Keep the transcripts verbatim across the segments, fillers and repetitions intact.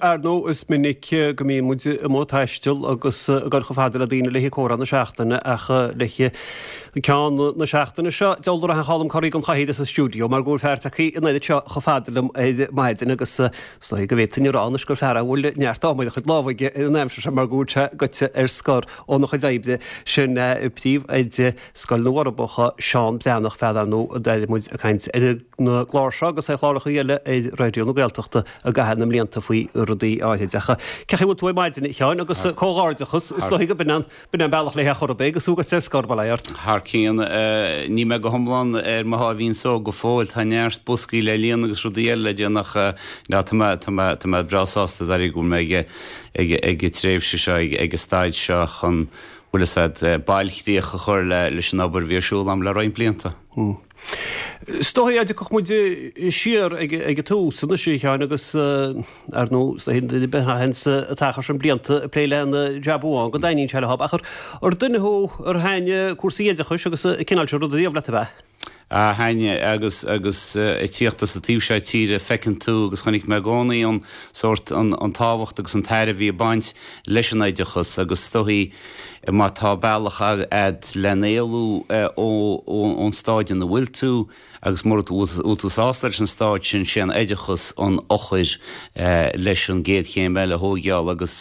Ar ndóigh, is minic go mbíonn muid amuigh ag taisteal agus ag dul chomh fada le daoine le haghaidh comhrá na seachtaine ach le haghaidh ceann na seachtaine seo, deabhal dá rachadh Colm Corraí den chathaoir as an stiúideo mar go bhfuil fear tagtha in ionad seo chomh fada liom ar maidin agus is dóigh go bhféadfainn a rá anois gur fear a bhfuil neart ama ar a chuid lámha aige ar an aimsir seo mar go bhfuil sé goite ar scor óna chuid oibre, sin príomhoide Scoil na bhForbacha, Seán Breathnach, fear ar ndóigh a d'airigh muid ag caint ar an gclár seo agus ar chláracha eile ar Raidió na Gaeltachta i gcaitheamh na mblianta faoi rudaí áithrid. Ach cén chaoi a bhfuil tú ar maidin, a Sheáin, agus comhghairdeachas, is dóigh go b'in an b'in an bealach le chor ar bith agus tú goite ar scor, bail ó Dhia ort. Thar cionn, níl mé go hiomlán ar mo sháimhín só go fóill, tá neart boscaí le líonadh agus rudaí eile le déanamh ach tá mé tá mé tá mé breá sásta dáiríre go bhfuil mé ag ag ag an tréimhse seo ag ag an staid seo chun bhfuil fhios a'd, bailchríoch a chur leis an obair a bhí ar siúl a'm le roinnt blianta. Is dóigh a dtiocfadh muid siar ag an tús anois, a Sheáin, agus ar ndóigh, is dóigh duine ar bith a théanns an t-achar sin blianta ag plé le haon jab amháin go dtaitníonn sé leo. Ach ar duine thú ar thaitin cúrsaí oideachais agus an cineál sin ruda riamh leat, ab ea? Ah thaitin, agus agus ag tíocht as an taobh seo tíre feiceann tú agus chonaic mé i gcónaí an sórt an an tábhacht agus an tairbhe ag baint leis an oideachas agus is dóichí má tá bealach a'd len éalú ó ón stáid ina bhfuil tú agus mura bhfuil tú sásta leis an stáid sin sé an oideachas an eochair leis an gcéad chéim eile a thóigeáil agus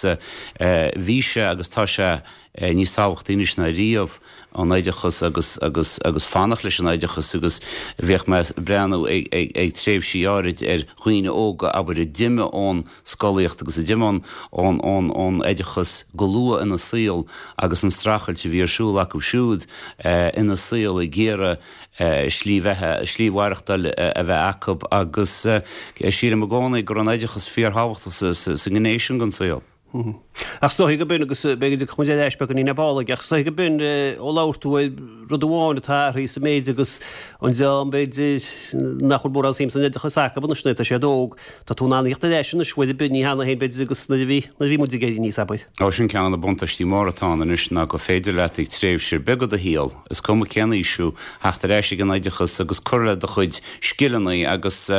bhí sé agus tá sé níos tábhachtaí anois ná riamh an oideachas agus agus agus fanacht leis an oideachas agus bhíodh mé ag breathnú ag ag ag tréimhsí áirid ar dhaoine óga abair a d'imigh ón scolaíocht agus a d'imigh ón ón ón oideachas go luath ina saol agus an streachailt a bhí ar siúl acu siúd ina saol ag iarraidh slí bheatha slí mhaireachtáil a bheith acu agus sílim i gcónaí go raibh an oideachas fíorthábhachtach sa sa ngné sin den saol. Ach is dóigh go b'in, agus beidh go dtiocfaidh muid ar ais beagáinín ar ball aige, ach is dóigh go b'in, ó labhair tú ar rud amháin atá athraithe sa méid agus an dream b'fhéidir nach bhfuil mórán suim san oideachas acu anois nuair atá siad óg, tá tú in ann a thíocht ar ais anois uair ar bith, ní cheana féin b'fhéidir agus nuair a bhí, nuair a bhí muid ag éirí aníos, abair. Ó sin ceann de na buntáistí móra atá ann anois ná gur féidir leat ag tréimhse ar bith de do shaol, is cuma cén aois thú, theacht ar ais ag an oideachas agus cur le do chuid scileanna agus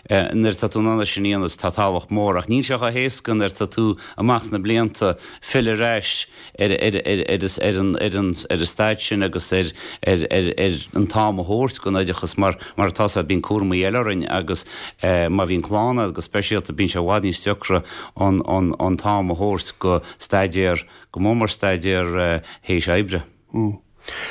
nuair atá tú in ann é sin a dhéanamh tá tábhacht mór ach níl sé chomh héasca nuair atá tú amach sna blianta filleadh ar ais ar ar ar ar ar an ar an ar an staid sin agus ar ar ar ar an t-am a thabhairt don oideachas mar mar atá sé bíonn cúramaí eile orainn agus má bhíonn clann agat go speisialta bíonn sé i bhfad níos deacra an an an t-am a thabhairt go staidéar go mór mór staidéar théis oibre.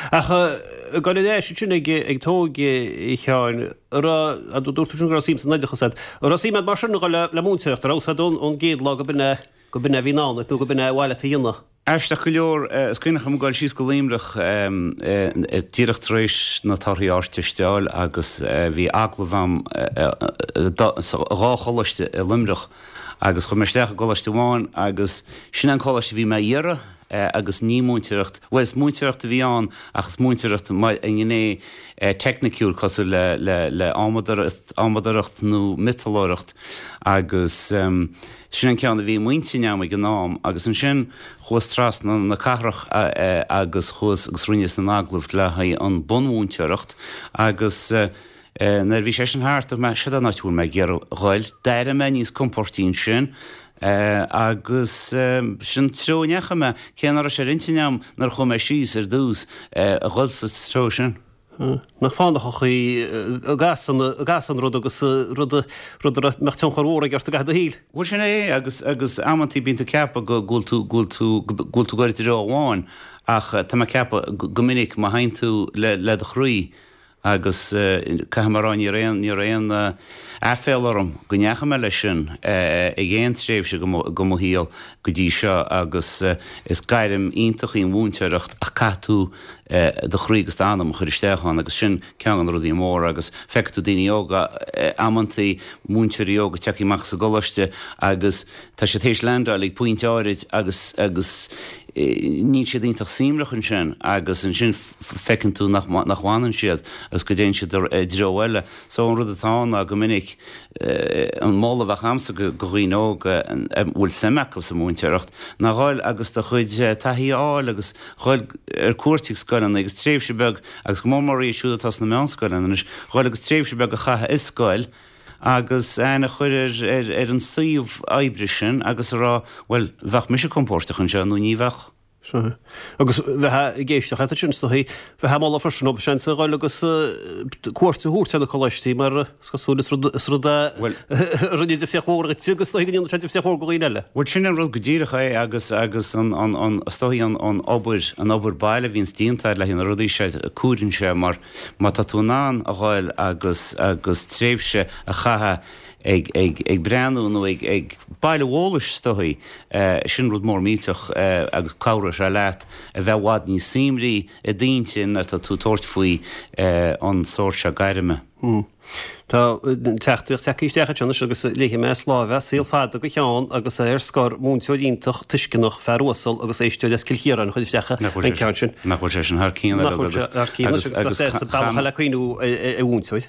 Ach ag dul ar ais ansin ag ag t'óige, a Sheáin, an raibh, dúirt tú sin go raibh suim san oideachas agat, an raibh suim agat mar sin a dhul le le múinteoireacht, an raibh a fhios agat ón ón gcéad lá go b'in é go b'in é a bhí i ndán duit nó go b'in é ba mhaith leat a dhéanamh? Aisteach go leor, is cuimhneach liom ag dul síos go Luimneach díreach tar éis na torthaí Ardteiste a fháil agus bhí agallamh a'm sa dhá choláiste i Luimneach agus chuaigh mé isteach i gcoláiste amháin agus sin é an coláiste a bhí mé a iarraidh agus ní múinteoireacht, bhuel is múinteoireacht a bhí ann ach is múinteoireacht mar an ngné teicniciúil cosúil le le le adhmadóireacht, adhmadóireacht nó miotalóireacht agus sin an ceann a bhí i m'intinn a'm ag an am agus ansin chuas trasna na cathrach agus chuas agus rinneas an agallamh le haghaidh an bunmhúinteoireacht agus Nuair a bhí sé sin thart, dúirt mé, Seod é an áit a bhfuil mé ag iarraidh dhul. D'airigh mé níos compóirtí ansin agus sin an treo a ndeachaigh mé, cé nach raibh sé ar intinn agam nuair a chuaigh mé síos ar dtús a dhul sa treo sin. Nach fánach an chaoi a gcasann, a gcasann rud agus rud, rud a mbeadh tionchar mhór aige ort i gcaitheamh do shaoil. Bhuel sin é agus, agus amantaí bíonn tú ag ceapadh go bhfuil tú, go bhfuil tú, go bhfuil tú ag goil i dtreo amháin ach tá mé ag ceapadh go minic má théann tú le, le do chroí, Agus caithfidh mé a rá, ní raibh aon, ní raibh aon aiféala orm go ndeachaigh mé leis sin ag aon tréimhse de mo shaol go dtí seo agus is gairm iontach í an mhúinteoireacht ach caithfidh tú do chroí agus d'anam a chur isteach ann agus sin ceann de na rudaí móra agus feicfidh tú daoine óga amantaí, múinteoirí óga tagtha amach as an gcoláiste agus tá siad théis landáil ag pointe áirid agus, agus níl siad iontach suaimhneach ansin agus ansin feiceann tú nach nach bhfanann siad agus go dtéann siad i dtreo eile. So an rud atá ann ná go minic an moladh a bheadh a'msa go dhaoine óga a bhfuil suim acu sa mhúinteoireacht ná dhul agus do chuid taithí a fháil agus dhul ar cuairt ag scoileanna agus tréimhse beag agus go mór mór iad siúd atá sna meánscoileanna anois dhul agus tréimhse beag a chaitheamh i scoil agus aithne a chur ar, ar, ar an suíomh oibre sin agus a rá, bhuel, bheadh mise compordach anseo nó ní bheadh. Sea. Agus bheith ag éisteacht leat ansin, is dóichí, bheith ag moladh freisin dóibh seans a dhul agus cuairt a thabhairt ar na coláistí mar is cosúil is rud, is rud a rinne difríocht mhór dhuit agus is dóichí go ndéanann sé difríocht mhór do dhaoine eile. Bhuel, sin an rud go díreach é agus, agus an, an, an, is dóichí an, an obair, an obair baile a bhíonns déanta le haghaidh na rudaí seo, cuireann sé mar má tá tú in ann a dhul agus, agus tréimhse a chaitheamh ag, ag, ag breathnú nó ag, ag bailiú eolais is dóichí, sin rud mór millteach agus cabhróidh sé leat a bheith i bhfad níos simplí i d'intinn nuair atá tú ag tabhairt faoi an sórt seo gairme. Tá teachtaireacht tagtha isteach anseo anois agus léifidh mé as láimh é, saol fada do Sheán agus é ar scor, múinteoir iontach, tuisceanach, fear uasal agus éisteoir as Cill Chiaráin a chuir isteach an ceann sin. Nach bhfuil sé sin thar cionn Nach bhfuil sé thar cionn anois agus is bealach eile cuimhniú ar mhúinteoir.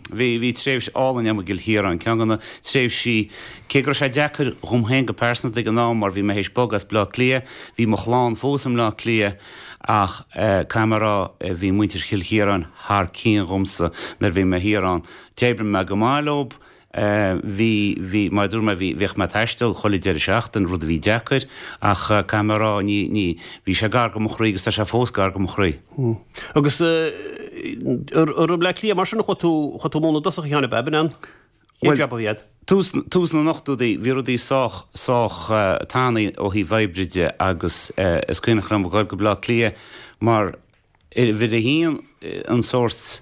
Bhí, bhí tréimhse álainn agam i gCill Chiaráin, ceann de na tréimhsí, cé go raibh sé deacair dhom féin go pearsanta ag an am mar bhí mé théis bogadh as Bleá Cliath, bhí mo chlann fós i mBleá Cliath ach caithfidh mé a rá, bhí muintir Chill Chiaráin thar cionn dhomsa nuair a bhí mé thiar ann. D'oibrigh mé go maith leob. Bhí, bhí, mar a dúirt mé, bhí, bhíodh mé ag taisteal chuile deireadh seachtaine, rud a bhí deacair, ach caithfidh mé a rá, ní, ní, bhí sé gar go mo chroí agus tá sé fós gar go mo chroí. Agus i mBleá Cliath mar sin a chuaigh tú, chuaigh tú ag múineadh i dtosach a Sheáin, ab ea, b'in an chéad jab a bhí agat? Tús, tús na n-ochtóidí, bhí rudaí sách, sách tanaí ó thaobh oibre de agus is cuimhneach liom a dhul go Bleá Cliath mar uimhir a haon an sórt,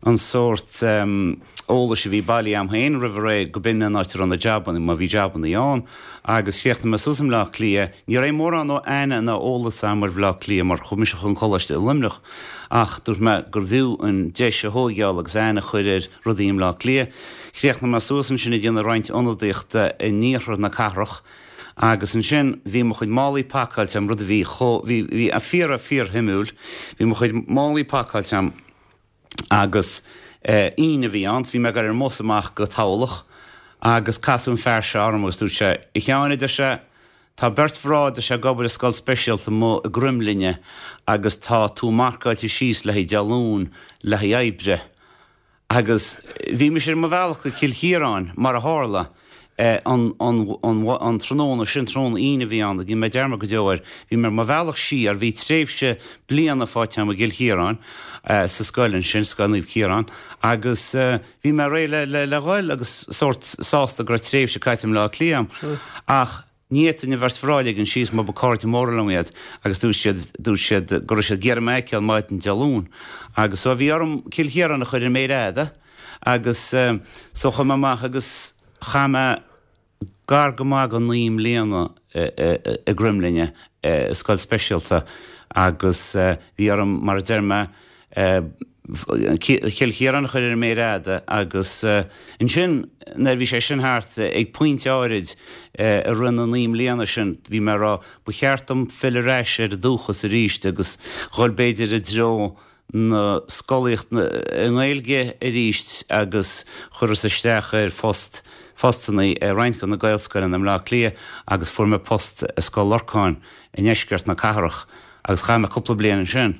an sórt eolais a bhí bailithe agam féin roimh ré go b'in an áit a raibh na jabanna, má bhí jabanna ann, agus chríochnaigh mé suas i mBleá Cliath. Ní raibh mórán ó aithne ná eolas agam ar Bhleá Cliath mar chuaigh mise chun coláiste i Luimneach ach dúirt mé gurbh fhiú an deis a thóigeáil agus aithne a chur ar rudaí i mBleá Cliath. Chríochnaigh mé suas ansin ag déanamh roinnt ionadaíochta in iarthar na cathrach agus ansin bhí mo chuid málaí pacáilte agam, rud a bhí chomh, bhí, bhí fíor, fíor-shuimiúil, bhí mo chuid málaí pacáilte agam agus Aoine a bhí ann, so bhí mé ag dul ar an mbus amach go Tamhlacht agus casadh an fear seo orm agus dúirt sé, A Sheáin, a deir sé, tá beirt mhná, a deir sé, ag obair i scoil speisialta amuigh i gCroimghlinne agus tá tú marcáilte síos le haghaidh Dé Luain le haghaidh oibre. Agus bhí mise ar mo bhealach go Cill Chiaráin, mar a tharla, an an tráthnóna sin, tráthnóna Aoine a bhí ann, ní dhéanfaidh mé dearmad go deo air, bhí mé ar mo bhealach siar, bhí tréimhse bliana faighte agam i gCill Chiaráin, sa scoil ansin, Scoil Naomh Ciarán, agus bhí mé réidh le le le dhul agus sórt sásta go raibh tréimhse caite i mBleá Cliath agam. Ach ní fhéadfainn an bheirt mhná a ligean síos mar ba cairde móra liom iad agus dúirt siad, dúirt siad go raibh siad ag iarraidh mé a fheiceáil maidin Dé Luain. Agus so bhí orm Cill Chiaráin a chur ar an méar fhada agus so chuaigh mé amach agus chaith mé gar go maith go naoi mbliana i gCroimghlinne i scoil speisialta agus bhí orm, mar a deir mé, Cill Chiaráin a chur ar an méar fhada agus ansin nuair a bhí sé sin thart, ag pointe áirid i rith na naoi mbliana sin, bhí mé ag rá, ba cheart dom filleadh ar ais ar an dúchas arís agus dhul b'fhéidir i dtreo na scolaíochta i nGaeilge arís agus chuireas isteach ar phost, phostanna i roinnt de na Gaelscoileanna i mBleá Cliath agus fuair mé post i Scoil Lorcáin i ndeisceart na cathrach agus chaith mé cúpla bliain ansin.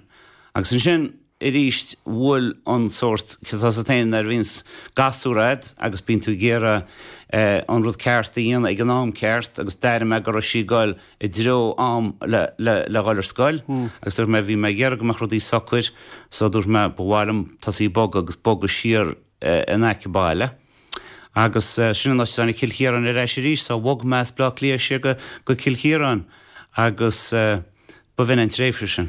Agus ansin arís bhuail an sórt, tá a fhios agat féin nuair a bhíonns gasúr a'd agus bíonn tú ag iarraidh an rud ceart a dhéanamh ag an am ceart agus d'airigh mé go raibh sí ag goil i dtreo am le le le dhul ar scoil agus dúirt mé bhí mé ag iarraidh go mbeadh rudaí socair so dúirt mé ba mhaith liom tosaí ag bogadh agus bogadh siar in aice baile agus sin an áit a dtáinig Cill Chiaráin ar ais arís so bhog mé as Bleá Cliath siar go go Cill Chiaráin agus Ba bhinn an tréimhse sin.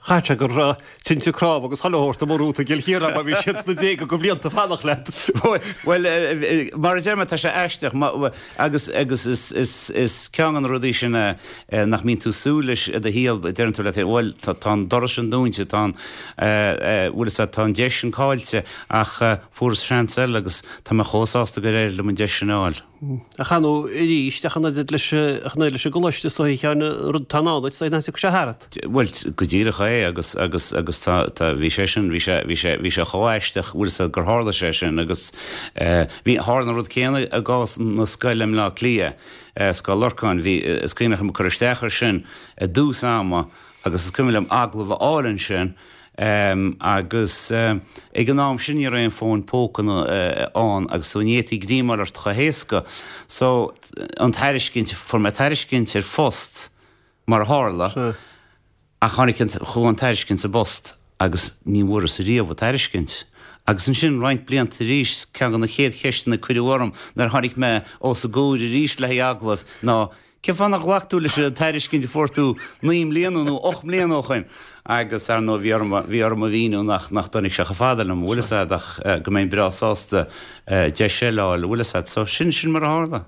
Chaithfeadh sé go raibh tinte cnámh agus chuile shórt amuigh romhat i gCill Chiaráin mar bhí siad sna déaga de bhlianta fanacht leat. Bhuel, mar a deir mé, tá sé aisteach agus agus is is is ceann de na rudaí sin nach mbíonn tú ag súil leis i do shaol, deireann tú leat féin, bhuel, tá tá an doras sin dúnta, tá an bhfuil fhios agat, tá an deis sin caillte ach fuaireas seans eile agus tá mé chomh sásta gur éirigh liom an deis sin a fháil. Ach ar ndóigh arís, ach an oiread leis ach an oiread leis an gcoláiste is dóigh a Sheáin, an rud atá i ndán duit, is dóigh nach dtiocfaidh sé tharat. Bhuel, go díreach é agus agus agus tá tá bhí sé sin bhí sé bhí sé bhí sé chomh aisteach bhfuil fhios agat gur tharla sé sin agus eh bhí tharla an rud céanna i gcás na scoile i mBleá Cliath, eh Scoil Lorcáin, bhí is cuimhneach liom cur isteach air sin i dtús ama agus is cuimhin liom agallamh a fháil ansin Agus ag an am sin ní raibh aon fón póca ann agus so ní fhéadfaí greamáil ort chomh héasca. So an tairiscint, fuair mé tairiscint ar phost mar a tharla ach tháinig an, chuaigh an tairiscint sa bpost agus ní bhfuaireas riamh an tairiscint. Agus ansin roinnt blianta arís, ceann de na chéad cheisteanna a cuireadh orm nuair a tháinig mé os a gcomhair arís le haghaidh agallaimh ná, Cén fáth nár ghlac tú leis an tairiscint a fuair tú naoi mbliana nó ocht mbliana ó shoin? Agus, ar ndóigh, bhí orm, bhí orm a mhíniú nach, nach dtáinig sé chomh fada liom, bhfuil fhios a'd, ach go mbeinn breá sásta deis eile a fháil, bhfuil fhios a'd. So, sin, sin mar a tharla.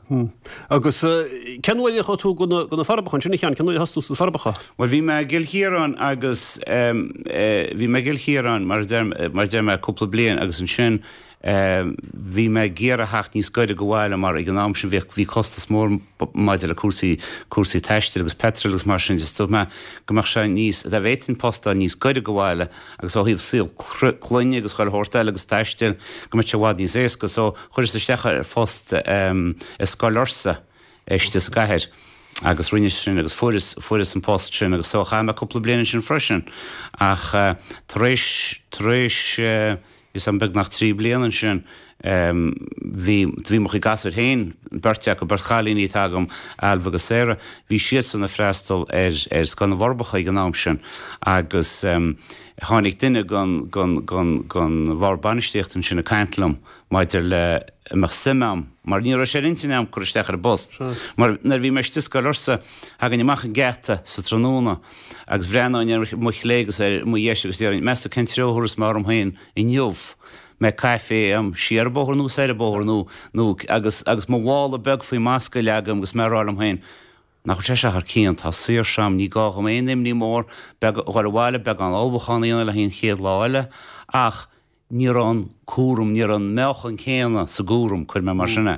Agus cén uair a chuaigh tú go na, go na Forbacha ansin, a Sheáin? Cén uair a thosaigh tú sna Forbacha? Bhuel, bhí mé i gCill Chiaráin agus bhí mé i gCill Chiaráin, mar a deir, mar a deir mé, cúpla bliain agus ansin, Bhí mé ag iarraidh theacht níos gaire go bhaile mar ag an am sin bhíodh, bhí costas mór maidir le cúrsaí, cúrsaí taistil agus petrol agus mar sin de. Dúirt mé go mbeadh sé níos, dá bhféadfainn post a fháil níos gaire go bhaile agus ó thaobh saol clainne agus chuile shórt eile agus taistil go mbeadh sé i bhfad níos éasca. So chuireas isteach ar phost i Scoil Fhursa istigh sa gcathair agus rinneas sin agus fuaireas, fuaireas an post sin agus so chaith mé cúpla bliain ansin freisin ach tar éis, tar éis, Is am beagnach trí bliana ansin bhí bhí mo chuid gasúir féin, beirt acu, beirt chailíní atá agam, Ailbhe agus Sarah, bhí siadsan ag freastal ar ar Scoil na bhForbacha ag an am sin agus tháinig duine den den den den bhord bainistíochta ansin ag caint liom maidir le an mbeadh suim a'm mar ní raibh sé ar intinn a'm cur isteach ar an bpost mar nuair a bhí mé istigh i Scoil Fhursa thagainn amach an geata sa tráthnóna agus bhreathnóinn ar mo chlé agus ar mo dheis agus déarfainn meas tú cén treo a thabharfas mé orm féin inniu mbeidh caife a'm siar an bóthar nó soir an bóthar nó nó agus agus mo mhála beag faoi m'ascaill agam agus mé ag rá liom féin nach bhfuil sé seo thar cionn, tá saoirse a'm, ní gá dhom aon imní mór beag dhul abhaile, beagán ullmhúcháin a dhéanamh le haghaidh an chéad lá eile ach ní raibh an cúram, ní raibh an meáchan céanna sa gcúram, cuir mé mar sin é.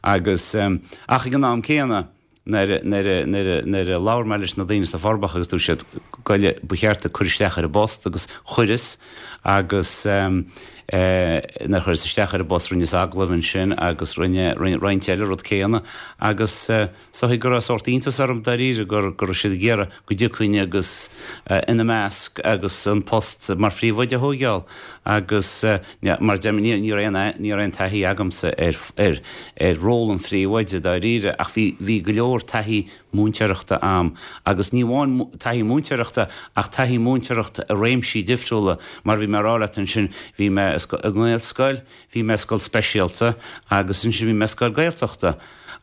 Agus, ach ag an am céanna, nuair a, nuair a, nuair a, nuair a labhair mé leis na daoine sna Forbacha agus dúirt siad, goile, ba cheart duit cur isteach ar an bpost agus chuireas agus nuair a chuireas isteach ar an bpost rinneas agallamh ansin agus rinne, rinne roinnt eile rud céanna agus is dóigh go raibh sórt iontas orm dáiríre go go raibh siad ag iarraidh go dtiocfainn agus ina measc agus an post mar phríomhoide a thóigeáil agus mar a deirim ní raibh aon ní raibh aon taithí agamsa ar ar ar ról an phríomhoide dáiríre ach bhí bhí go leor taithí múinteoireachta a'm agus ní amháin taithí múinteoireachta ach taithí múinteoireachta i réimsí difriúla mar bhí mé a rá leat ansin bhí mé i nGaelscoil, bhí mé i scoil speisialta agus ansin bhí mé i scoil Gaeltachta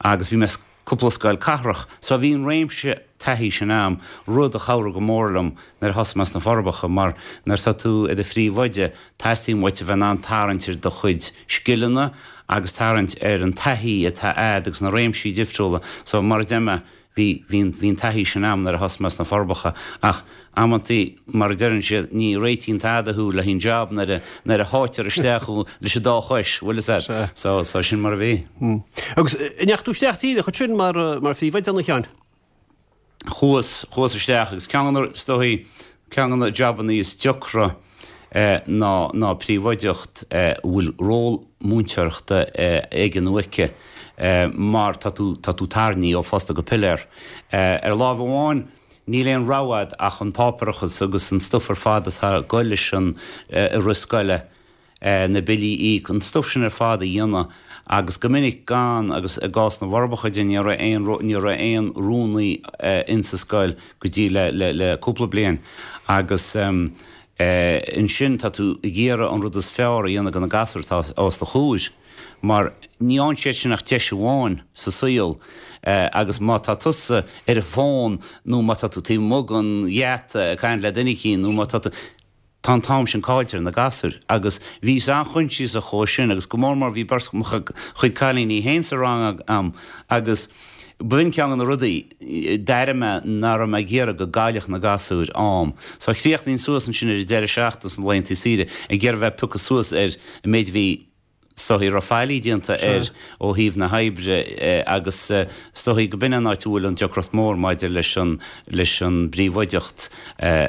agus bhí mé cúpla scoil cathrach. So bhí an réimse taithí sin a'm, rud a chabhraigh go mór liom nuair a thosaigh mé sna Forbacha mar nuair atá tú i do phríomhoide teastaíonn uait a bheith in ann tarraingt ar do chuid scileanna agus tarraingt ar an taithí atá a'd agus na réimsí difriúla. So mar a deir mé, bhí, bhí an, bhí an taithí sin a'm nuair a thosaigh mé sna Forbacha ach amantaí, mar a deireann siad, ní réitíonn tada thú le haghaidh an job nuair a, nuair a sháitear isteach thú leis an dá chois, bhfuil fhios a'd. So, so sin mar a bhí. Agus an ndeachaigh tú isteach díreach ansin mar, mar phríomhoide a Sheáin? Chuas, chuas isteach agus ceann de na, is dóigh, ceann de na jabannaí is deacra ná, ná príomhoideacht a bhfuil ról múinteoireachta aige nó aici mar tá tú, tá tú tarraingthe ó phosta go piléar. Ar láimh amháin, níl aon rogha a'd ach an páipéarachas agus an stuif ar fad atá ag goil leis an rith scoile, na billí a íoc, an stuif sin ar fad a dhéanamh agus go minic gan, agus i gcás na bhForbacha de ní raibh aon, ní raibh aon rúnaí insa scoil go dtí le, le, le cúpla bliain agus ansin tá tú ag iarraidh an rud is fearr a dhéanamh do na gasúir atá os do chomhair. Mar ní fhaigheann siad sin ach deis amháin sa saol agus má tá tusa ar an bhfón nó má tá tú taobh amuigh den gheata ag caint le duine eicínt nó má tá tú, tá an t-am sin caillte ar na gasúir. Agus bhíos an-choinsiasach dhó sin agus go mór mór bhí beirt mo chuid cailíní féin sa rang a'm agus b'in ceann de na rudaí, d'airigh mé nach raibh mé ag iarraidh go gcaillfeadh na gasúir am. So chríochnaínn suas ansin ar an deireadh seachtaine sna laethanta saoire ag iarraidh bheith piocadh suas ar an méid a bhí Is dóichí raibh faillí déanta air ó thaobh na hoibre agus is dóichí go b'in an áit a bhfuil an deacracht mór maidir leis an leis an bpríobháideacht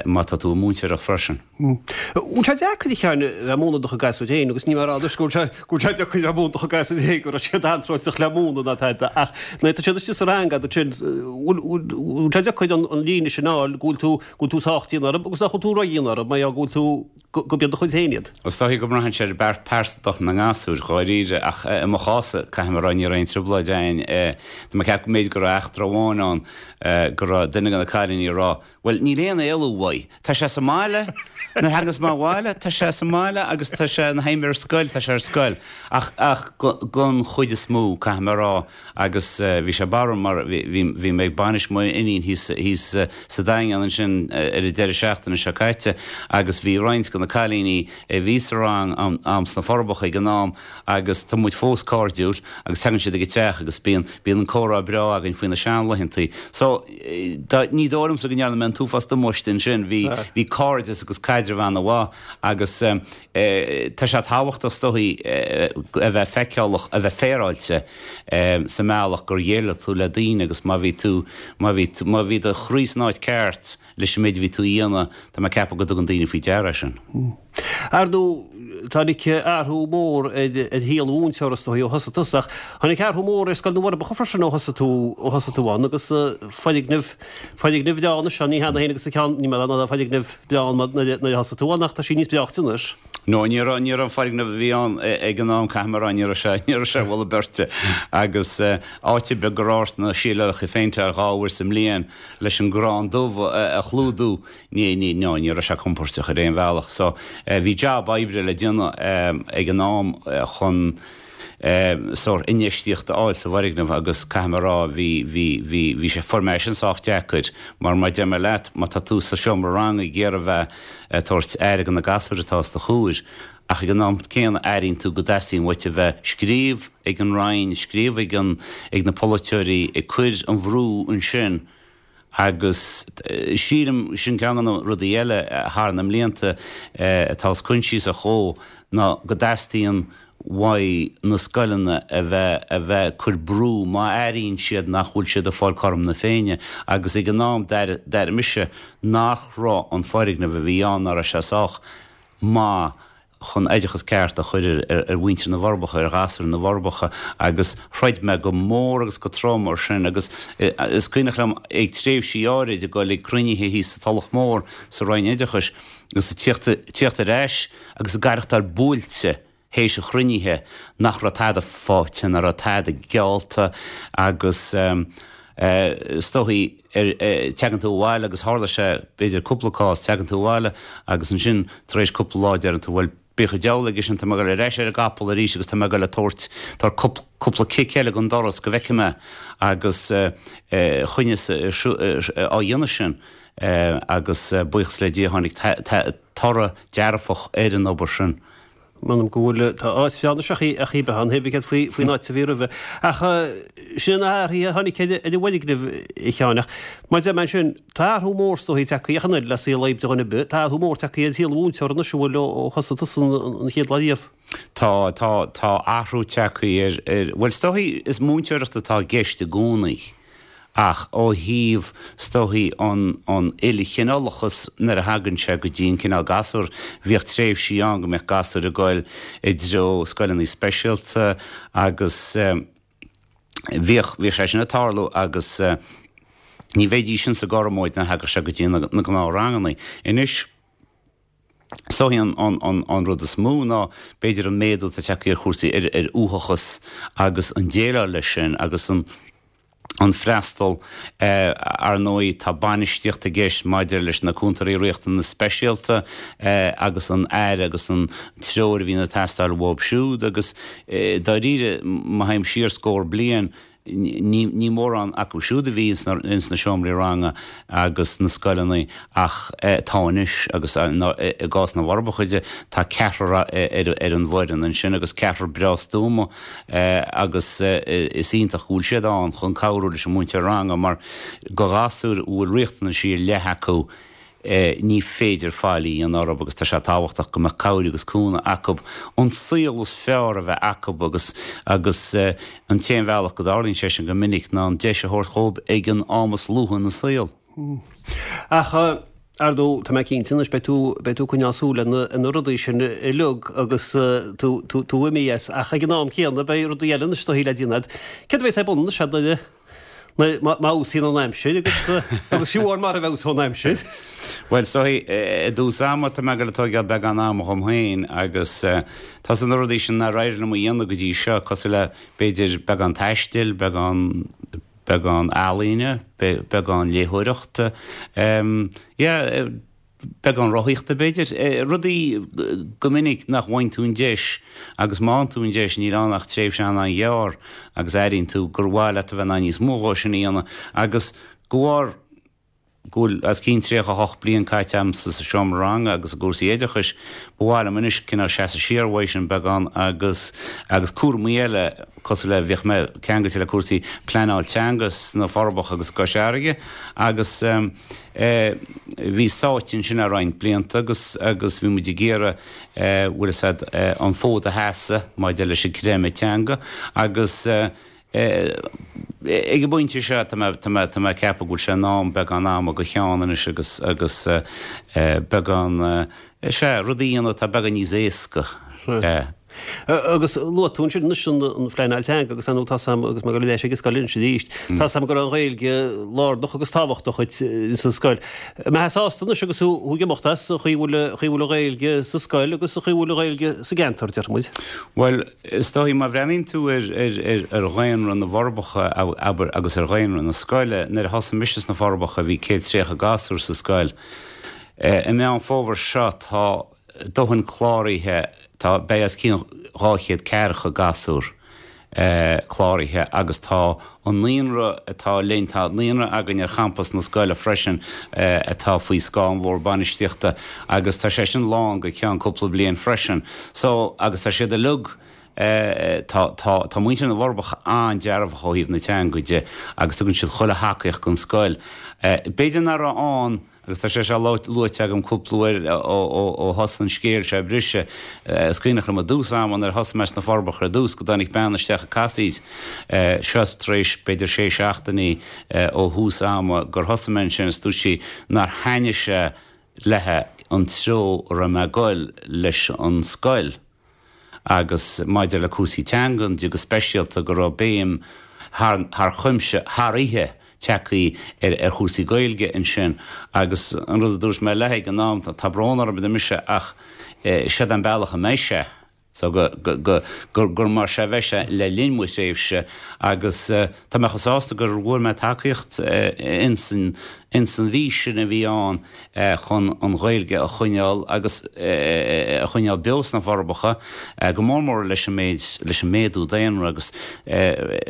má tá tú ag múinteoireacht freisin. Bhfuil sé deacair a Sheáin a bheith ag múineadh do chuid gasúir féin agus ní mar fhad go bhfuil sé go bhfuil sé deacair a bheith ag múineadh do chuid gasúir féin go raibh siad anróiteach le múineadh ná tada ach nuair atá siad istigh sa rang agat ansin bhfuil bhfuil sé deacair an an líne sin a fháil go bhfuil tú go bhfuil tú sách dian orthu agus nach bhfuil tú ródhian orthu mar go bhfuil tú go gurb iad do chuid féin iad. Is dóichí go mbraitheann sé ar pearsantacht na ngasúr dháiríre ach i mo chás-sa caithfidh mé a rá ní raibh aon trioblóid a'inn. Tá mé ag ceapadh go mb'fhéidir go raibh eachtra amháin ann go raibh duine de na cailíní ag rá bhuel níl aon éalú uaidh, tá sé sa mbaile, nuair a thagas mé abhaile tá sé sa mbaile agus tá sé nuair a théim ar scoil tá sé ar scoil. Ach ach don chuid is mó caithfidh mé a rá agus bhí sé barrúil mar bhí bhí mé ag bainis mo iníon thíos thíos sa Daingean ansin ar an deireadh seachtaine seo caite agus bhí roinnt de na cailíní a bhí sa rang a'm sna Forbacha ag an am agus tá muid fós cairdiúil agus tagann siad ag an teach agus bíonn bíonn an comhrá breá againn faoi na seanlaethantaí. So dá ní dóigh liomsa go ndearna mé an t-uafás damáiste ansin, bhí bhí cairdeas agus caidreamh ana-mhaith agus tá sé tábhachtach is dóichí a bheith feiceálach, a bheith féaráilte sa mbealach gur dhéileáil tú le daoine agus má bhí tú má bhí má bhí do chroí san áit ceart leis an méid a bhí tú a dhéanamh, tá mé ag ceapadh go dtugann daoine faoi deara é sin. Ar ndóigh, tháinig athrú mór ar shaol an mhúinteora is dóigh ó thosaigh tusa, ach tháinig athrú mór ar Scoil na bhForbacha freisin ó thosaigh tú ó thosaigh tú ann agus foirgneamh foirgneamh breá anois ann, ní hea féin agus a ceann, ní mar ná foirgneamh breá ann nuair a thosaigh tú ann ach tá sí níos breáichte anois. No, ní raibh, ní raibh an foirgneamh a bhí ann ag an am, caithfidh mé a rá, ní raibh sé, ní raibh sé ar mholadh beirte. Agus áit ar bith go raibh ort na síleálacha a phéinteáil dhá uair sa mbliain leis an gcrann dubh a chlúdú, ní, ní, no, ní raibh sé compóirteach ar aon bhealach. So, bhí jab oibre le déanamh ag an am chun sórt infheistíocht a fháil sa bhfoirgneamh agus caithfidh mé a rá, bhí, bhí, bhí, bhí sé, fuair mé é sin sách deacair mar mar deir mé leat, má tá tú sa seomra ranga ag iarraidh a bheith ag tabhairt aire do na gasúir atá os do chomhair ach ag an am céanna airíonn tú go dteastaíonn uait a bheith scríobh ag an Roinn, scríobh ag an, ag na polaiteoirí, ag cur an bhrú ansin agus sílim, sin ceann de na rudaí eile thar na mblianta atá os coinsiasach dhó ná go dteastaíonn uaidh na scoileanna a bheith a bheith ag cur brú má airíonn siad nach bhfuil siad ag fáil cothrom na Féinne agus ag an am d'airigh mise nach raibh an foirgneamh a bhí ann nach raibh sé sách maith chun oideachas ceart a chur ar ar mhuintir na bhForbacha, ar ghasúir na bhForbacha agus throid mé go mór agus go trom ar sin agus is cuimhneach liom ag tréimhsí áirid ag dul ag cruinnithe thíos sa Tulach Mhór sa Roinn Oideachais agus ag tíocht tíocht ar ais agus ag aireachtáil buailte théis an chruinnithe nach raibh tada faighte, nach raibh tada geallta agus is dóichí teagann tú abhaile agus tharla sé b'fhéidir cúpla cás, teagann tú abhaile agus ansin tar éis cúpla lá deireann tú bhuel bíodh an diabhal aige sin, tá mé ag dul ar ais ar an gcapall arís agus tá mé ag dul ag tabhairt, tabhairt cúpla cic eile don doras go bhfeicfidh mé agus choinneas á dhéanamh sin agus buíochas le Dia tháinig toradh dearfach ar an obair sin. M'anam go bhfuil, tá áit bhreá anois ach í ach í bheith ann, thaobh céard faoi faoin áit a bhí roimhe. Ach sin na hathruithe a tháinig ar an bhfoirgneamh, a Sheáin, ach mar a deir mé ansin, tá athrú mór is dóichí tagtha ach an oiread le saol oibre dhuine ar bith, tá athrú mór tagtha ar shaol an mhúinteora anois a bhfuil ó thosaigh tusa an chéad lá riamh. Tá, tá, tá athrú tagtha ar, ar, bhuel is dóichí is múinteoireacht atá i gceist i gcónaí. Ach ó thaobh, is dóichí, an an uilechineálachas nuair a thagann sé go dtí an cineál gasúr, bhíodh tréimhsí ann go mbeadh gasúir ag goil i dtreo scoileanna speisialta agus bhíodh, bhíodh sé sin ag tarlú agus ní bheidís sin sa gcothromóid nuair a thagadh sé go dtí na gnáthranganna. Anois, is dóichí an an an rud is mó ná b'fhéidir an méadú atá tagtha ar chúrsaí ar ar uathachas agus an déileáil leis sin agus an an freastal. Ar ndóigh, tá bainistíocht i gceist maidir leis na cúntóirí riachtanas speisialta agus an aire agus an treoir a bhíonn ag teastáil uathu siúd agus dáiríre, má théim siar scór bliain, ní ní mórán acu siúd a bhí ins na seomraí ranga agus sna scoileanna ach tá anois agus i gcás na bhForbacha de tá ceathrar ar an bhfoireann ansin agus ceathrar breá stuama agus is iontach go bhfuil siad ann chun cabhrú leis an múinteoir ranga mar do ghasúir a bhfuil riachtanaisí ar leith acu Ní féidir faillí a dhéanamh orthu agus tá sé tábhachtach go mbeadh cabhair agus cúnamh acu an saol is fearr a bheith acu agus agus an t-aon bhealach go dtarlaíonn sé sin go minic ná an deis a thabhairt dhóibh ag an am is luaithe ina saol. Ach ar ndóigh, tá mé cinnte anois, beidh tú beidh tú ag coinneáil súil ar na ar na rudaí sin uilig agus tú tú tú imithe as ach ag an am céanna beidh rudaí eile anois do shaol le déanamh. Céard a bheas ar bun anois nuair má fheabhsaíonn an aimsir agus agus fiú amháin mara bhfeabhsóidh an aimsir. Bhuel, is dóigh, i dtús ama tá mé ag dul ag tógáil beagán ama dhom féin agus tá na rudaí sin nár éirigh liom a dhéanamh go dtí seo, cosúil le b'fhéidir beagán taistil, beagán beagán ealaíne, beagán léitheoireachta, yeah, beagán rothaíochta b'fhéidir, rudaí go minic nach bhfaigheann tú an deis agus má fhaigheann tú an deis níl ann ach tréimhse an-ghearr agus airíonn tú gur mhaith leat a bheith in ann níos mó dhó sin a dhéanamh agus go bharr go bhfuil os cionn tríocha a hocht bliain caite agamsa sa seomra ranga agus i gcúrsaí oideachais, ba mhaith liom anois cineál seasamh siar uaidh sin beagán agus agus cúraimí eile cosúil le bhíodh mé ceangailte le cúrsaí pleanáil teanga sna Forbacha agus i gCois Fharraige agus bhí sáite ansin le roinnt blianta agus agus bhí muid ag iarraidh bhfuil fhios a'd an fód a sheasamh maidir leis an creimeadh teanga agus ag an bpointe seo tá mé tá mé tá mé ag ceapadh go bhfuil sé in am beagán ama do Sheán anois agus agus beagán sea rudaí a dhéanamh atá beagán níos éasca. Agus luaigh tú ansin anois an phleanáil teanga agus ar ndóigh tá 's a'm agus mé ag dul ar ais ag an scoil anois arís, tá 's a'm go raibh an Ghaeilge lárnach agus tábhachtach duit sa scoil. An mbeifeá sásta anois agus thú ag imeacht as, an chaoi a bhfuil an chaoi a bhfuil an Ghaeilge sa scoil agus an chaoi a bhfuil an Ghaeilge sa gceantar, déarfaidh muid? Bhuel, is dóigh má bhreathnaíonn tú ar ar ar dhaonra na bhForbacha, abair, agus ar dhaonra na scoile, nuair a thosaigh mise sna Forbacha bhí céad tríocha gasúr sa scoil. I Meán Fómhair seo tá dóthain cláraithe, tá, beidh os cionn dhá chéad ceathracha gasúr cláraithe agus tá an naíonra atá linn, tá naíonra againn ar champas na scoile freisin atá faoi scáth an Bhord Bainistíochta agus tá sé sin lán go ceann cúpla bliain freisin. So, agus tá siad uilig, tá, tá, tá muintir na bhForbacha an-dearfach ó thaobh na teanga de agus tugann siad chuile thacaíocht don scoil. B'fhéidir nach raibh ann, Agus tá sé seo luaite agam cúpla uair ó thosaigh an scéal seo ag briseadh. Is cuimhneach liom i dtús ama nuair a thosaigh mé sna Forbacha ar dtús go dtáinig bean isteach ag casaoid, seo tar éis b'fhéidir sé seachtainí ó thús ama gur thosaigh mé ansin is dúirt sí nár thaitnigh sé léi an treo a raibh mé ag goil leis an scoil. Agus maidir le cúrsaí teangan de go speisialta go raibh béim thar chuimse thar oíche tagtha ar ar chúrsaí Gaeilge ansin agus an rud a dúirt mé léi ag an am, tá brón orm a deir mise ach seod an bealach a mbeidh sé so go go go gur gur mar seo a bheidh sé le linn mo thréimhse agus tá mé chomh sásta gur bhfuair mé tacaíocht ins an ins an bhfís sin a bhí ann chun an Ghaeilge a choinneáil agus a choinneáil beo sna Forbacha, go mór mór leis an méid, leis an méadú daonra agus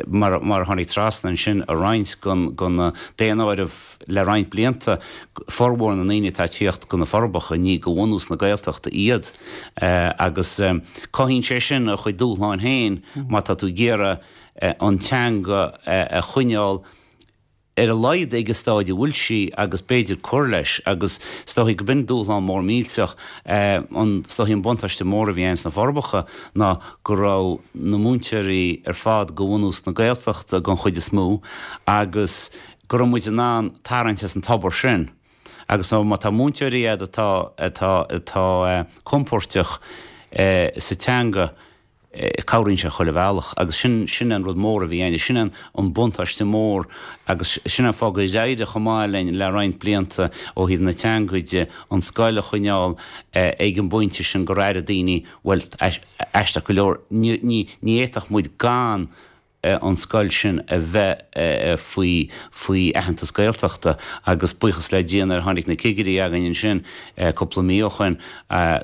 mar mar a tháinig trasna ansin i roinnt den den daonáireamh le roinnt blianta, formhór na ndaoine atá ag tíocht go na Forbacha ní de bhunús na Gaeltachta iad agus cothaíonn sé sin a chuid dúshláin féin má tá tú ag iarraidh an teanga a choinneáil ar a laghad ag an staid a bhfuil sí agus b'fhéidir cur leis agus is dóichí go b'in dúshlán mór millteach an is dóichí an buntáiste mór a bhí ann sna Forbacha ná go raibh na múinteoirí ar fad de bhunús na Gaeltachta den chuid is mó agus go raibh muid in ann tarraingt as an tobar sin agus má tá múinteoirí a'd atá atá atá compóirteach sa teanga cabhraíonn sé chuile bhealach agus sin, sin an rud mór a bhí ann, sin an an buntáiste mór agus sin an fáth gur éirigh chomh maith linn le roinnt blianta ó thaobh na teanga de, an scoil a choinneáil ag an bpointe sin gur airigh daoine, bhuel, aisteach go leor, ní, ní, ní fhéadfadh muid gan an scoil sin a bheith faoi faoi aitheantas Gaeltachta agus buíochas le Dia nuair a tháinig na cigirí againn ansin cúpla mí ó shoin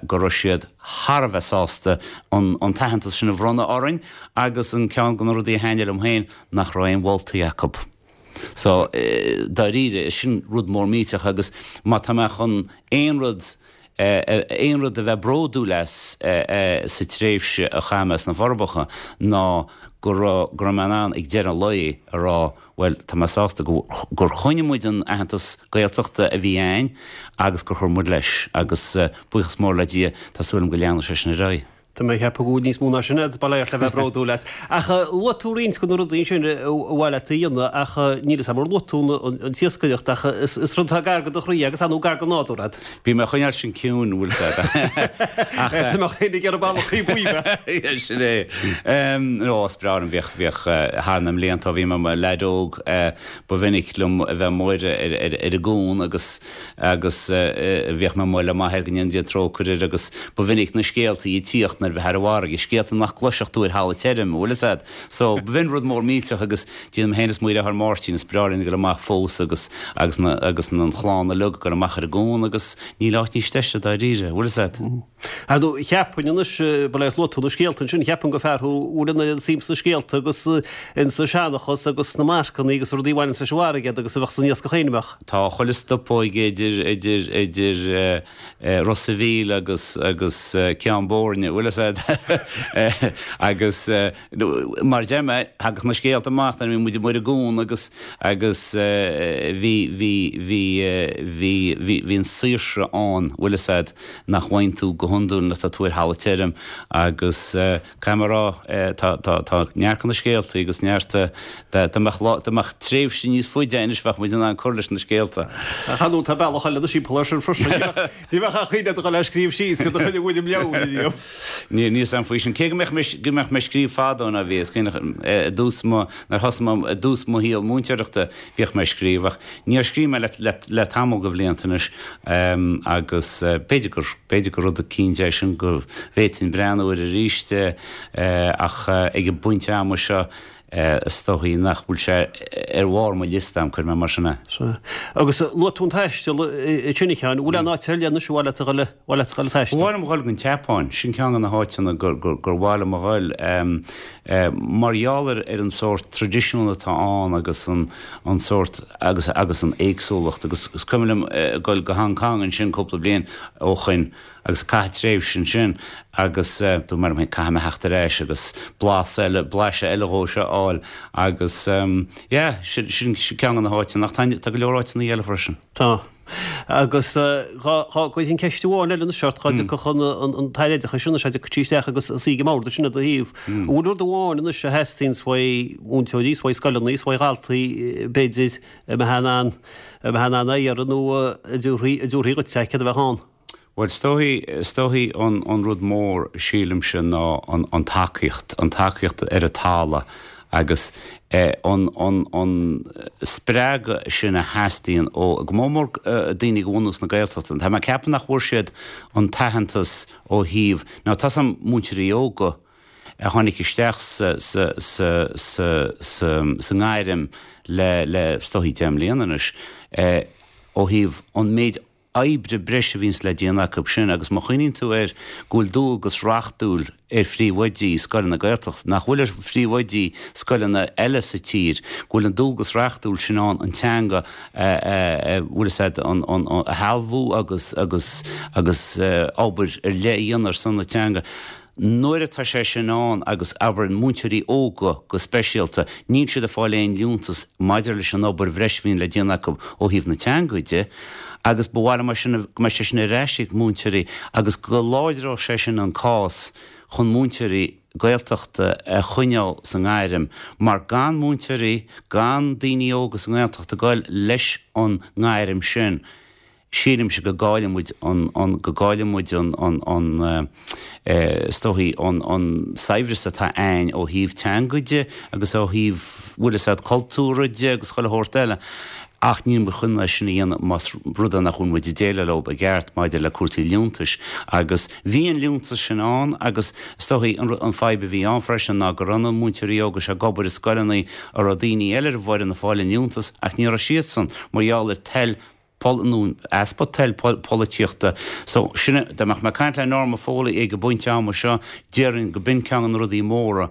go raibh siad thar a bheith sásta an an t-aitheantas sin a bhronnadh orainn agus an ceann de na rudaí a thaitnigh liom féin nach raibh aon mholtaí acu. So dáiríre sin rud mór millteach agus má tá mé chun aon rud aon rud a bheith bródúil as sa tréimhse a chaith mé sna Forbacha ná go raibh go raibh mé in ann ag deireadh an lae a rá bhuel tá mé sásta go gur choinnigh muid an aitheantas Gaeltachta a bhí ann agus gur chuir muid leis agus buíochas mór le Dia tá súil agam go leanfaidh sé sin ar aghaidh. Tá mé ag ceapadh go bhfuil níos mó ná sin agat bail ort le bheith bródúil as. Ach luaigh tú roinnt de na rudaí sin a bhfuil leat a dhéanamh ach níl a fhios agam ar luaigh tú an t-iascaireacht ach is rud atá gar do do chroí agus nó gar don nádúr agat. Bím ag coinneáil sin ciúin bhfuil a fhios agat. Ach tá mé féin ag iarraidh bealach chuí buí bheith. Sin é. Nó is breá liom bhíodh bhíodh thar na mblianta bhí mé i mo leaid óg ba mhinic liom a bheith amuigh ar ar an gcuan agus agus bhíodh mé amuigh le m'athair go ndéana Dia trócaire air agus ba mhinic na scéaltaí ag tíocht nuair a bheith ar an bhfarraige, scéalta nach gcloisfeadh tú ar thalamh tirim, bhfuil a fhios agat. So, b'in rud mór millteach agus déanaim féin is mo dheartháir Máirtín, is breá linn a ghoil amach fós agus agus na agus an chlann uilig ag goil amach ar an gcuan agus níl áit níos deise dáiríre, bhfuil a fhios agat. Ar ndóigh, cheapfainn anois, bail ort, luaigh tú na scéalta ansin, cheapfainn gur fear thú a bhfuil an oiread suim sna scéalta agus insa seanchas agus sna marcanna agus rudaí a bhaineanns leis an bhfarraige agus a bheadh san iascach féin, an mbeadh? Tá chuile stopóig idir idir idir Ros a' Mhíl agus agus Ceann Boirne, bhfuil a fhios agat agus mar a deir mé, thagadh na scéalta amach nuair a bhí muid amuigh ar an gcuan agus agus bhí bhí bhí bhí bhí bhí an saoirse ann, bhfuil a fhios agat, nach bhfaigheann tú go hiondúil nuair atá tú ar thalamh tirim agus caithfidh mé a rá tá tá tá neart de na scéaltaí agus neart dá mbeadh lá dá mbeadh tréimhse níos faide anois bheadh muid in ann cur leis na scéalta. Ach ar ndóigh tá bealach eile na simplí sin freisin. Ní bheadh ach aoinne do dhul le scríobh síos iad a choinne bhfuil im leabhar inniu. Níl níl a fhios agam faoi sin. Cé go mbeadh mé go mbeadh mé ag scríobh fadó ná bhí is cuimhneach i dtús mo nuair thosaigh mé i dtús mo shaol múinteoireachta bhíodh mé ag scríobh ach níor scríobh mé le le le tamall de bhlianta anois agus b'fhéidir gur b'fhéidir gur rud eicínt é sin go bhféadfainn breathnú air arís ach ag an bpointe ama seo is dóichí nach bhfuil sé ar bharr mo liosta am, cuirfidh mé mar sin é. Sea. Agus luaigh tú an taisteal ansin a Sheáin, bhfuil aon áit ar leith anois ar mhaith leat a dhul, mhaith leat a dhul ag taisteal? Ba mhaith liom a dhul go an tSeapáin, sin ceann de na háiteanna gur, gur, gur mhaith liom a dhul mar gheall ar, ar an sórt traidisiún atá ann agus an, an sórt, agus, agus an éagsúlacht agus is cuimhin liom a dhul go Hong Kong ansin cúpla bliain ó shoin agus caitheamh tréimhse ansin agus dúirt mé liom féin caithfidh mé theacht ar ais agus blas eile, blaiseadh eile dhó seo a fháil agus yeah, sin, sin ceann de na háiteanna ach tá, tá go leor áiteanna eile freisin. Tá. Agus dhá, dhá gcuirfinn ceist amháin eile anois ort, dhá dtiocfadh an, an, an tAire Oideachais anois, dá dtiocfadh sí isteach agus suí ag an mbord ansin i do thaobh. An bhfuil rud amháin anois a theastaíonns uaidh mhúinteoirí, 's uaidh scoileanna, 's uaidh dhaltaí, b'fhéidir, a mbeifeá in ann, a mbeifeá in ann a iarraidh nó a dtabharfaí, a dtabharfaí dhuit é, céard a bheadh ann? Bhuel, is dóichí, is dóichí an, an rud mór, sílimse, ná an, an tacaíocht, an tacaíocht ar an talamh agus eh an, an, an spreagadh sin a theastaíonn ó, go mór mór daoine de bhunús na Gaeltachta. Tá mé ag ceapadh nach bhfuair siad an t-aitheantas ó thaobh, now tá 's a'm múinteoirí óga a tháinig isteach sa, sa, sa, sa, sa, sa ngairm le, le, is dóichí deich mbliana anois, eh ó thaobh an méid oibre breise a bhíonns le déanamh acu sin agus má chuimhníonn tú air go bhfuil dualgas reachtúil ar phríomhoidí scoileanna Gaeltachta, nach bhfuil ar phríomhoidí scoileanna eile sa tír, go bhfuil an dualgas reachtúil sin ann an teanga a bhfuil fhios a'd an a shealbhú agus agus agus obair ar leith a dhéanamh ar son na teanga. Nuair atá sé sin ann, agus abair múinteoirí óga go speisialta, níl siad ag fáil aon liúntas maidir leis an obair bhreise a bhíonn le déanamh acu ó thaobh na teanga de, agus ba mhaith liom é sin, go mbeadh sé sin ar ais ag múinteoirí agus go láidreodh sé sin an cás chun múinteoirí Gaeltachta a choinneáil sa ngairm, mar gan múinteoirí, gan daoine óga sa nGaeltacht ag goil leis an ngairm sin, sílimse go gcailleann muid an, an, go gcailleann muid an, an, an, is dóichí, an, an saibhreas atá a'ainn ó thaobh teanga de agus ó thaobh, bhfuil fhios a'd, cultúrtha de agus chuile shórt eile. Ach níl muid chun é sin a dhéanamh más rud é nach bhfuil muid ag déileáil leo i gceart maidir le cúrsaí liúntais. Agus bhí an liúntas sin ann agus is dóichí an, an fadhb a bhí ann freisin ná go raibh na múinteoirí óga seo ag obair i scoileanna a raibh daoine eile ar an bhfoireann ag fáil an liúntas ach ní raibh siadsan mar gheall ar toil nó easpa toil polaitíochta. So, sin é, dá mbeadh mé ag caint le Norma Foley ag an bpointe ama seo, déarfainn go b'in ceann de na rudaí móra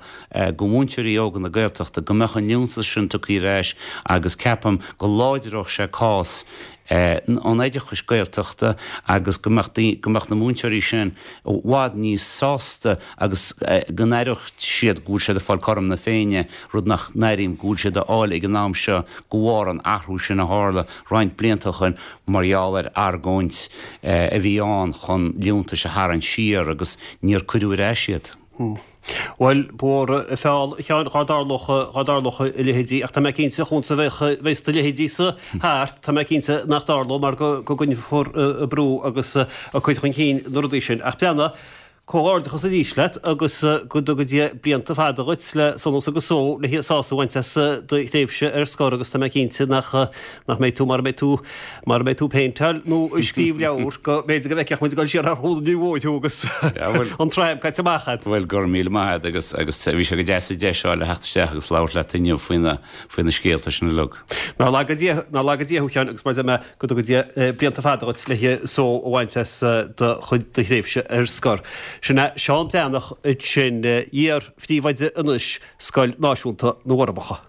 go mhúinteoirí óga na Gaeltachta, go mbeadh an liúntas sin tugtha ar ais agus ceapaim go láidreodh sé cás an oideachais Gaeltachta agus go mbeadh go mbeadh na múinteoirí sin i bhfad níos sásta agus go n-aireodh siad go bhfuil siad ag fáil cothrom na Féinne, rud nach n-airím go bhfuil siad a fháil ag an am seo de bharr an athrú sin a tharla roinnt blianta ó shin mar gheall ar argóint a bhí ann chun liúntais a tharraingt siar agus níor cuireadh ar ais iad. Bhuel, ba mhór an feall, a Sheáin, dhá dtarlódh, dhá dtarlódh a leithéidí, ach tá mé cinnte, chugatsa a bheidh, bheas do leithéidí-sa thart, tá mé cinnte nach dtarlódh mar go, go gcoinneofar ag brú agus ag cur chun cinn na rudaí sin. Ach breathnaigh, comhghairdeachas arís leat agus go dtuga Dia blianta fada dhuit le sonas agus só le sásamh a bhaint as do thréimhse ar scor agus tá mé cinnte nach, nach mbeidh tú, mara mbeidh tú, mara mbeidh tú ag péinteáil nó ag scríobh leabhar go mb'fhéidir go bhfeicfeadh muid ag dul siar thar Chuan an Mhóir thú agus an tram caite amach agat. Bhuel, go raibh míle maith agat agus agus bhí sé go deas an deis a fháil le theacht isteach agus labhairt leat inniu faoi na faoi na scéalta sin uilig. Nár laga Dia nár laga Dia thú a Sheáin agus mar a deir mé go dtuga Dia blianta fada dhuit le só a bhaint as do chuid do thréimhse ar scor. Sin é Seán Breathnach ansin, iar-phríomhoide anois Scoil Náisiúnta na bhForbacha.